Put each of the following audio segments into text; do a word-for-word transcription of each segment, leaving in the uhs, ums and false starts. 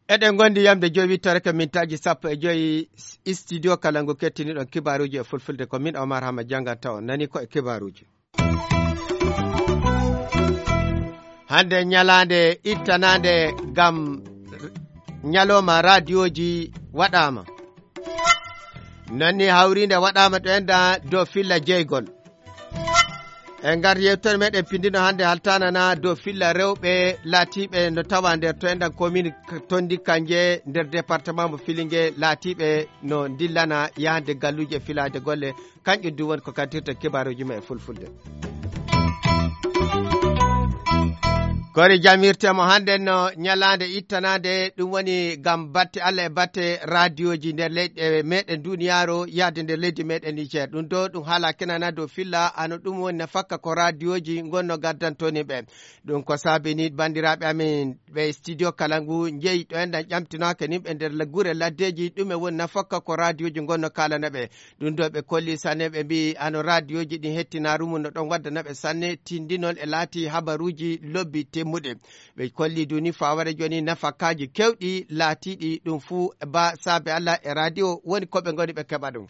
Eɗen ngondi yamde joyi wittoreke mintaaji sappo e joyi. Studio kala ngu kettiniɗon kibaaruuji e fulfulde, ko min Omar Hama jannganta on. Nani ko e kibaaruuji. Hannde ñalaande ittanaande ngam ñalooma raadiyooji waɗaama. Noon ni hawriinde waɗaama ɗo enɗan dow filla jeygol. E ngar yewtere meɗen pindino hannde haltanana dow filla rewɓe laatiiɓe no tawa nder to enɗan commune Tonndi Kanje nder département mo Filinge, laatiiɓe no ndillana yahde galluuje e filaade golle. Kanƴum du woni ko kaddirta kibaaruuji ma e fulfulde. Kori jamirte mo hannde no ñalaande ittanaande, ɗum woni ngam batte Allah e batte raadiyooji nder leyɗe meɗen duniyaaru, yahde nder leydi meɗen Niger. Ɗum do ɗum haala kenana dow filla, ano ɗum woni nafakka ko raadiyooji ngonno gaddantoni ɓe. Ɗum ko saabini banndiraaɓe amin ɓe studio kala ngu njeyi ɗo enɗan ƴamtinaaka nimɓe nder la-, gure laddeeji, ɗum e woni nafakka ko raadiyooji ngonno kaalana ɓe. Ɗum ɗo ɓe kolli sanne, ɓe mbiyi ano raadiyooji ɗin hettinaaru mum no ɗon waddana ɓe sanne tindinol e laati habaruuji lobbi timmuɗi. Ɓe kolli duni faware jooni nafakaaji kewɗi laatiiɗi ɗum fuu ba saabe Allah e raadiyo woni ko ɓe ngoni ɓe keɓa ɗum.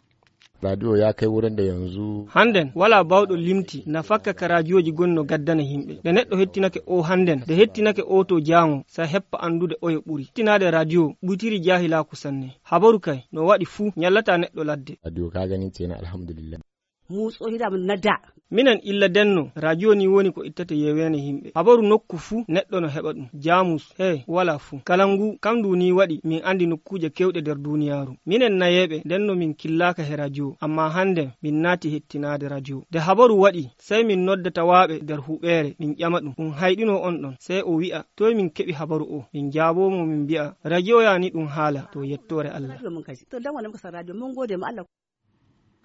Radio ya kai wurin da yanzu. Hannden, walaa baawɗo limti nafakka ka raadiyooji goni no gaddana yimɓe. Nde neɗɗo hettinake o hannden, nde hettinake o to jaango, sa heppa anndude oyo ɓuri. Hettinaade raadiyo ɓuytiri jaahilaaku sanne. Habaru kay, no waɗi fuu, ñallataa neɗɗo ladde. Radio ka ganin ce na alhamdulillah. Mu tsohi da mun na da. Minen illa denno, raadiyo ni woni ko ittata yeweene yimɓe. Habaru nokku fuu, neɗɗo no heɓa ɗum. Jaamus, he, walaa fuu. Kala ngu, kam ndu ni waɗi, min anndi nokkuuje kewɗe nder duniyaaru. Minen nayeeɓe, ndenno min killaaka he raadiyo, amma hannden, min naati hettinaade raadiyo. Nde habaru waɗi, sey min nodda tawaaɓe nder huɓeere, min ƴama ɗum, ɗum hayɗino on ɗon. Sey o wi'a, toy min keɓi habaru o? Min jaaboo mo, min mbi'a, raadiyo ya ni ɗum haala, to yettoore Allah. To dan wannan muka san radio, mun gode ma Allah.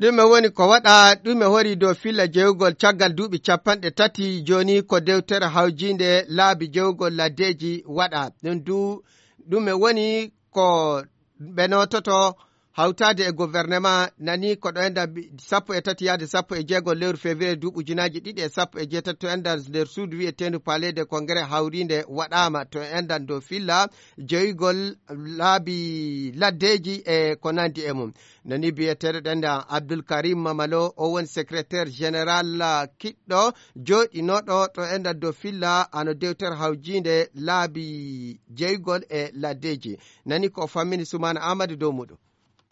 Ɗume woni ko waɗa, ɗume hori dow filla jeyugol caggal duuɓi capanɗe tati jooni ko dewtere hawjiinde laabi jeyugol laddeeji waɗa? Ɗum du, ɗume woni ko ɓe noototo hawtaade e gouvernement nani ko ɗo enɗan bi-, sappo e tati yaade sappo e jeego lewru février duuɓi ujunaaji ɗiɗi e sappo e jeetati to enɗan nder suudu wiyeteendu Palais de Congrès hawriinde waɗaama to enɗan dow filla jeyugol laabi laddeeji e ko nanndi e mum. Nani biyeteeɗo ɗenɗan Abdul Karim Mamalo, o woni secrétaire général, ah, kiɗɗo jooɗinooɗo to enɗan dow filla ano dewtere hawjiinde laabi jeygol e laddeeji. Nani ko o fammini Sumaana Aamadu dow muɗum.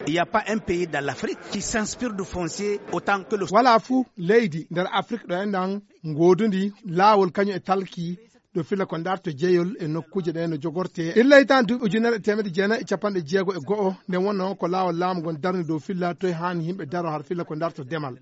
Il n'y a pas un pays dans l'Afrique qui s'inspire du foncier autant que le Walaa fuu leydi nder Afrik ɗo enɗan ngoodudi laawol kañum e talki ɗo filla ko ndarto jeyol e nokkuuje ɗe no jogorte. Illa hitaan duuɓi ujunere e teemedde jeenayi e capanɗe jeego e go'o, nden wonno ko laawol laamu ngon darni dow filla toy haani yimɓe daro har filla ko ndarto demal.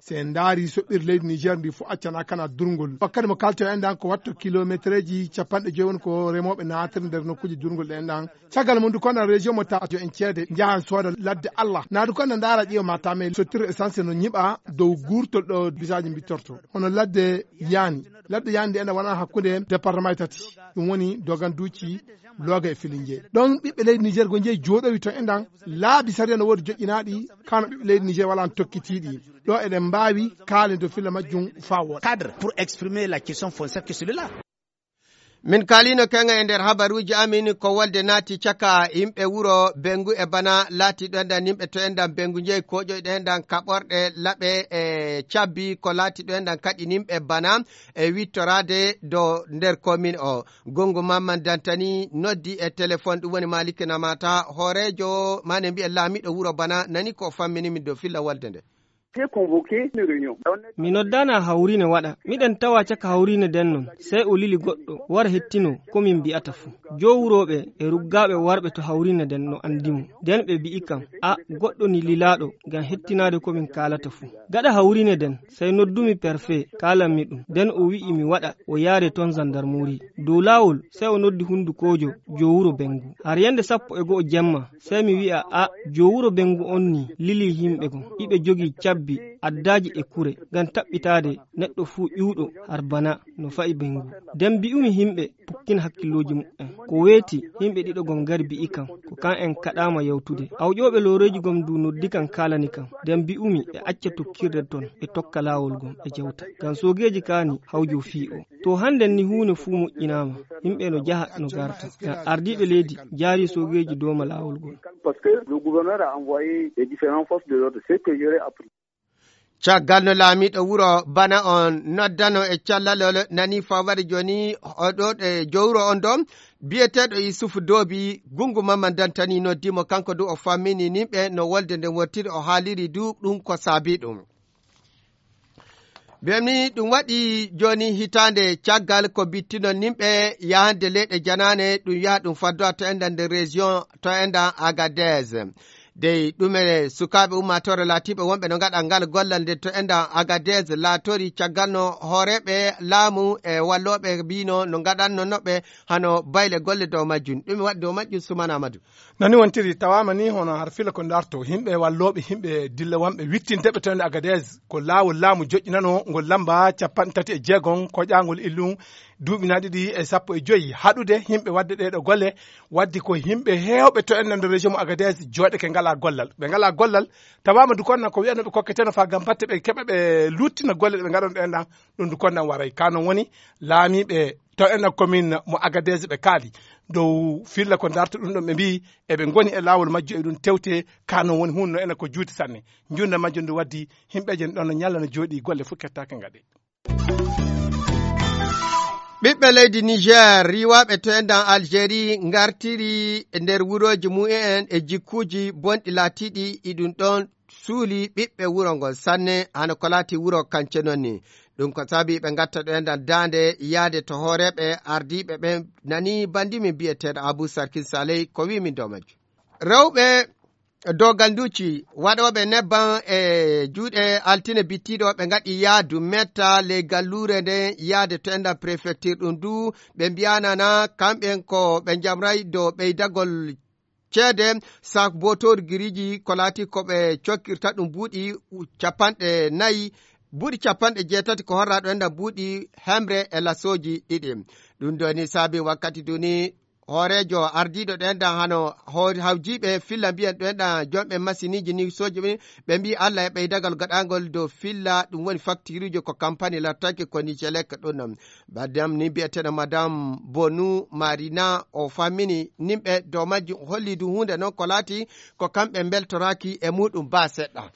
Si en ndaari soɓɓiire leydi Niger ndi fof accana kana durngol. Wakkati mo kalten enɗan ko watto kilometereeji capanɗe joyi woni ko remooɓe naatiri nder nokkuuje durngol ɗe enɗan. Caggal mum du kono région mo ta jo en ceede njahan sooda ladde Allah. Naadu kono ndaara ƴeewa ma tame sottiro essence no ñiɓa dow guurtol ɗo bisaaji mbittorto. Hono ladde yaani. Ladde yaani nde enɗan wona hakkunde département e tati. Ɗum woni Doganduuci, Looga e Filinge. Ɗon ɓiɓɓe leydi Niger go njeyi jooɗowi to enɗan laabi sariya no woodi joƴƴinaaɗi kano ɓiɓɓe leydi Niger wala no tokkitiiɗi. Ɗo eɗen mbaawi kaalen dow filla majjum faa wooɗa. Cadre pour exprimer la question foncière que celui-là. Min kaalino keŋa e nder habaruuji amin ko wolde naati caka yimɓe wuro Bengu e Bana laati ɗo enɗan yimɓe to enɗan Bengu njeyi koƴoyɗo enɗan kaɓorɗe laɓe e cabbi ko laati ɗo enɗan kaɗi yimɓe Bana e wittoraade do nder komin o. Gongo Mamman Dantani noddi e téléphone ɗum woni Maliki Namata hooreejo mane mbiyen laamiɗo wuro Bana nani ko o fammini min dow filla wolde nde. J'ai convoqué une réunion. Mi noddaana hawriine waɗa. Miɗen tawa caka hawriine nden non. Sey o lili goɗɗo, wara hettino ko min mbi'ata fuu. Joo wurooɓe e ruggaaɓe warɓe to hawriine nden no anndi mo. Nden ɓe mbi'i kam, a, goɗɗo ni lilaaɗo ngam hettinaade ko min kaalata fuu. Gaɗa hawriine nden, sey noddumi perfe, kaalanmi ɗum. Nden o wi'i mi waɗa, o yaare ton zandarmori. Dow laawol, sey o noddi hundukoojo joo wuro Bengu. Har yande sappo e go'o jemma, sey mi wi'a, a, joo wuro Bengu on ni lili yimɓe goo. Iɓe jogii cabbi. Bi addaaji e kure ngam taɓɓitaade neɗɗo fuu ƴuwɗo har bana no fa'i ɓeyngu. Nden mbi'umi yimɓe pukkina hakkillooji mu'en. Ko weeti, yimɓe ɗiɗo gom ngari mbi'i kam, ko kam en kaɗaama yawtude. Awƴooɓe looreeji gom du noddi kam kaalani kam. Nden mbi'umi ɓe acca tokkirde ton, ɓe tokka laawol gom, ɓe jawta. Ngam soogeeji kaani hawjo fii o. To hannden ni huunde fuu moƴƴinaama, yimɓe no jaha no garta. Ngam ardiiɓe leydi jaari soogeeji dooma laawol gol. Parce que le gouverneur a envoyé les différentes forces de l'ordre, ce que j'aurais appris. Caggal no laamiiɗo wuro bana on noddano e callalol nani fawade jooni oɗo e jowro on ɗo biyeteeɗo Yusufu Doobi gungu mamma dantani noddimo kanko du o fammini nimɓe no wolde nden wottiri o haaliri du ɗum ko saabi ɗum. Mbiyami ɗum waɗi jooni hitaande caggal ko bittinon nimɓe yahande leyɗe janaane ɗum yaha ɗum faddowa to enɗan nder région to enɗan Agadez. Dey ɗume sukaaɓe ummaatoore laatiiɓe wonɓe no ngaɗa ngal gollal nde to enɗan Agadez laatori caggal no hooreeɓe laamu e wallooɓe mbino no ngaɗanno noɓɓe hano bayle golle dow majjum. Ɗume waɗi dow majjum Sumana Amadou? Nani wontiri tawaama ni hono har fila ko darto yimɓe wallooɓe yimɓe dilla wonɓe wittinteɓe to enɗan Agadez ko laawol laamu joƴƴinano ngol lamba capanɗe tati e jeegom koƴaangol illum duuɓi na ɗiɗi e sappo e joyi haɗude yimɓe waɗde ɗee ɗoo golle. Waddi ko yimɓe heewɓe to enɗan nder région mo Agadez jooɗake ngalaa gollal ɓe ngalaa gollal. Tawaama du konna ko wiyanooɓe kokketeno faa ngam batte ɓe keɓa ɓe luuttina golle ɗe ɓe ngaɗon ɗe enɗan. Ɗum du konna waray ka non woni laamiiɓe to enɗan commune mo Agadez ɓe kaali dow filla ko darta ɗum ɗon ɓe mbiyi eɓe ngoni e laawol majjo e ɗum tewte ka non woni huunde no enɗan ko juuti sanne. Njunda majjo ndu waddi yimɓeeje ɗon no ñalla no jooɗi golle fof kettaaka ngaɗe. Ɓiɓɓe leydi Niger riiwaaɓe to enɗan Algérie ngartiri e nder wurooji mumen e jikkuuji bonɗi laatiiɗi iɗum ɗon suuli ɓiɓɓe wuro ngol sanne hano ko laati wuro kance noon ni. Ɗum ko saabi ɓe ngatta ɗo enɗan daande yaade to hooreeɓe ardiiɓe ɓen nani banndi min biyeteeɗo Abou Sarkin Saleh ko wii min dow majjum. Rewɓe dow galluuji waɗooɓe nebban e juuɗe altine bittiiɗo ɓe ngaɗi yaadu metta ley galluure nden yaade to enɗan préfecture ɗum du ɓe mbiyanana kamɓen ko ɓe njamray dow ɓeydagol ceede sak bootoori giriiji ko laati ko ɓe cokkirta ɗum buuɗi capanɗe nayi buuɗi capanɗe jeetati ko horra ɗo enɗan buuɗi hemre e lasooji ɗiɗi. Ɗum doni saabi wakkati duni hooreejo ardiiɗo ɗo enɗan hano hawjiiɓe filla mbiyan ɗo enɗan jomɓe masiniiji ni sooji ɓe ɓe mbi allah e ɓeydagal gaɗangol dow filla ɗum woni faktiruuji ko kampani lattaki ko nijelek ɗum non. Baddam ni mbiyeteɗo madame bonu marina o fammini nimɓe dow majjum holli du huunde noon ko laati ko kamɓe mbeltoraaki e muɗum ba seɗɗa.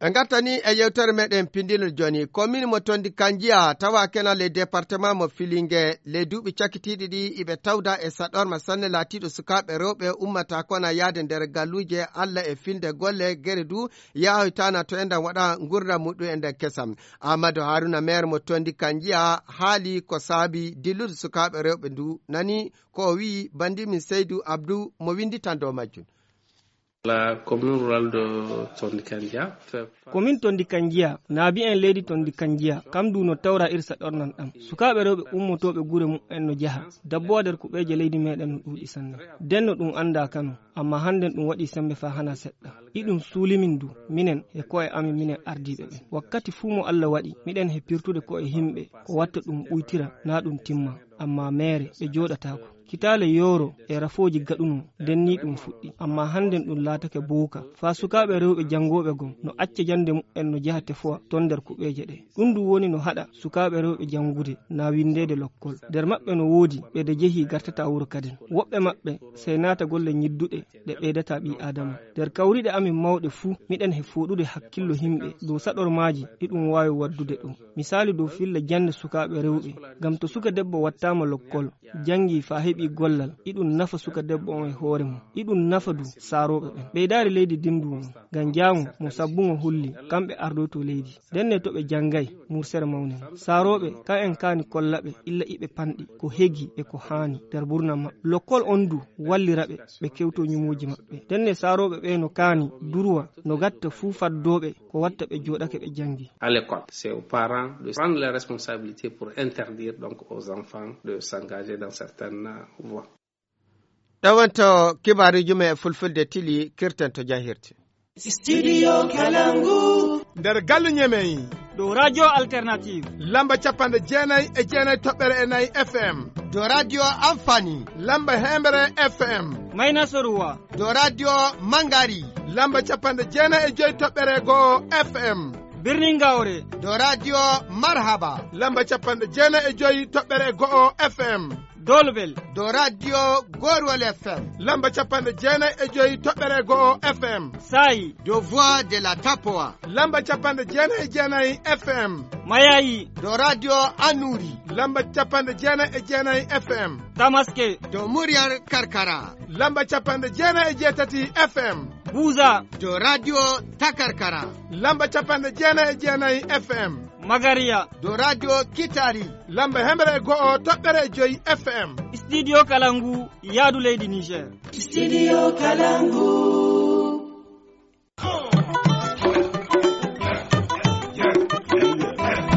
Ɓe ngartani e yewtere meɗen pindinol jooni komin mo tondi kanjiya tawa kenal e département mo filinge ley duuɓi cakkitiiɗi ɗi iɓe tawda e saɗorma sanne laatiiɗo sukaaɓe rewɓe ummata kona yaade nder galluuje allah e filde golle gere du yahoytana to enɗan waɗa ngurndam muɗum e nder kesam. Amadou Haruna maire mo tondi kanjiya haali ko saabi dillude sukaaɓe rewɓe ndu nani ko o wi'i bandimin Seydou Abdou mo winditan dow majjum. La commune rurale de Tondikandia fait komin tondi kanjiya naabi en leydi tondi kanjiya kam du no tawra irsa ɗornan ɗam sukaaɓe rewɓe ummotooɓe gure mumen no jaha dabbowa nder kuɓeeje leydi meɗen no ɗuuɗi sanne. Denno ɗum annda kano amma hannden ɗum waɗi sembe fa hana seɗɗa. Iɗum suulimin du minen e ko'e amin minen ardiiɓe ɓen wakkati fuu mo allah waɗi miɗen he pirtude ko'e yimɓe ko watta ɗum ɓuytira na ɗum timma. Amma meere ɓe jooɗataako kitaale yooro e rafooji gaɗuno denni ɗum fuɗɗi amma hannden ɗum laatake buuka faa sukaaɓe rewɓe janngooɓe gom no acca jannde mumen no jaha tefowa ton nder kuɓeeje ɗe. Ɗum du woni no haɗa sukaaɓe rewɓe janngude na winndeede lokkol nder maɓɓe no woodi ɓe de jehi gartata wuro kadin. Woɓɓe maɓɓe sey naata golle ñidduɗe ɗe ɓeydata ɓii aadama. Nder kawriiɗe amin mawɗe fuu miɗen he fooɗude hakkillo yimɓe dow saɗormaaji ɗi ɗum waawi waddude ɗum. Misaalu dow filla jannde sukaaɓe rewɓe ngam to suka debbo wattaama lokkol janngii faa heɓii gollal iɗum nafa suka debbo on e hoore mum. Iɗum nafa du saarooɓe ɓen ɓeydaari leydi ndin du mum ngam jaamu mo sabbungo hulli kamɓe ardoyto leydi. Ndenne to ɓe janngay mursere mawnen saarooɓe ka en kaani kollaɓe illa iɓe panɗi ko hegi e ko haani nder burnam maɓɓe. Lokkol on du walliraɓe ɓe kewto ñumuuji maɓɓe. Ndenne saarooɓe ɓe no kaani durwa no gatta fuu faddooɓe ko watta ɓe jooɗake ɓe janngi. À l'école c'est aux parents de prendre les responsabilités pour interdire donc aux enfants de s'engager dans certaines voies. Ɗo wonto kibaaruuji men e fulfulde tili kirten to jahirte. Studio Kalangu. Nder galle Ñemey. Ɗo Radio Alternative. Lamba capanɗe jeenayi e jeenayi toɓɓere e nayi F M. Ɗo Radio Amfani. Lamba heembere F M. Mayna Soruwa. Ɗo Radio Mangari. Lamba capanɗe jeenayi e joyi toɓɓere go'o F M. Birnin Gawre. Ɗo Radio Marhaba. Lamba capanɗe jeenayi e joyi toɓɓere go'o F M. Dolbel. Ɗo Radio Gorwol F M. Lamba capanɗe jeenayi e joyi toɓɓere go'o F M. Sayi. Ɗo Voix de la Tapoa. Lamba capanɗe jeenayi e jeenayi F M. Mayayi. Ɗo Radio Anuri. Lamba capanɗe jeenayi e jeenayi F M. Tamaske. Ɗo Muryar Karkara. Lamba capanɗe jeenayi e jeetati F M. Buza. Ɗo Radio Takarkara. Lamba capanɗe jeenayi e jeenayi F M. Magariya. Ɗo Radio Kitari. Lamba heembere e go'o toɓɓere e joyi F M. Studio Kalangu, yaadu leydi Niger. Studio Kalangu.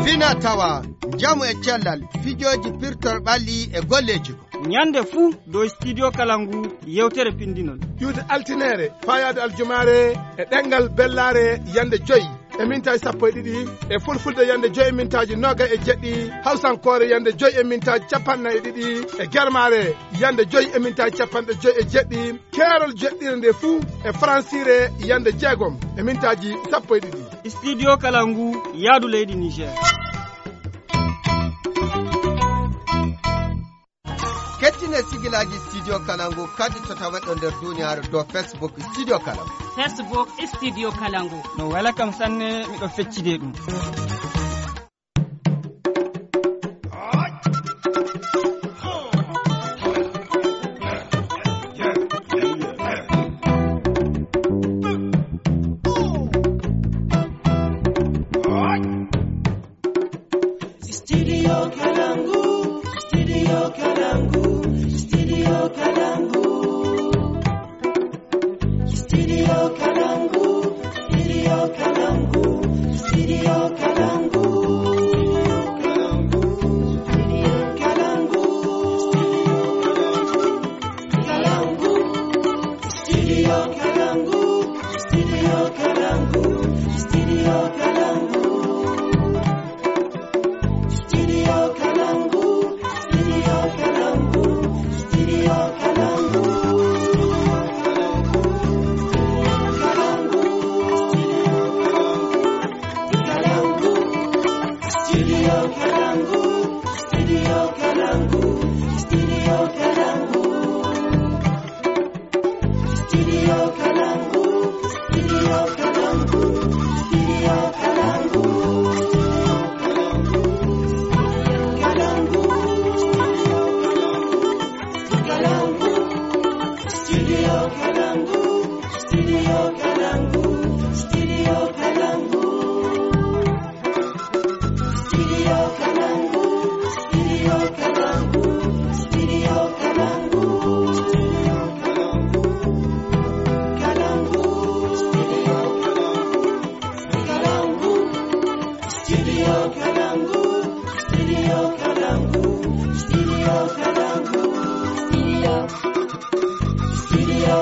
Fina tawa, njamu e cellal, fijooji pirtor ɓalli e golleeji. Ñande fuu ɗo Studio Kalangu yewtere pindinol. Ƴuwde altineere, faayaade aljumaare e ɗemngal bellaare yande joyi e mintaaji sappo e ɗiɗi, e fulfulde yande joyi e mintaaji noogay e jeɗɗi, hawsankoore yande joyi e mintaaji capanɗe nayi e ɗiɗi, e germaare yande joyi e mintaaji capanɗe joyi e jeɗɗi, keerol jeɗɗire nde fuu e faransiire yande jeegom e mintaaji sappo e ɗiɗi. Studio Kalangu, yaadu leydi Niger. Kettine sigilaaji Studio Kalangu kadi to taweɗo nder duniyaaru dow Facebook Studio Kalangu. Facebook Studio Kalangu. No wela kam sanne, miɗo feccide ɗum. Studio Kalangu, Studio Kalangu, Studio Kalangu. Studio Kalangu, Studio Kalangu, Studio Kalangu. Kalangu, Studio Kalangu, Studio Kalangu, Studio Kalangu, Studio Kalangu. Studio Kalangu, Studio Kalangu, Studio Kalangu. Kalangu, Studio Kalangu, Studio Kalangu, Studio Kalangu, Studio Kalangu. Studio Kalangu, Studio Kalangu, Studio Kalangu. Kalangu, Studio Kalangu, Studio Kalangu, Studio Kalangu, Studio Kalangu. Studio Kalangu, Studio Kalangu, Studio Kalangu. Kalangu, Studio Kalangu, Kalangu, Studio Kalangu, Studio Kalangu, Studio Kalangu. Studio, Studio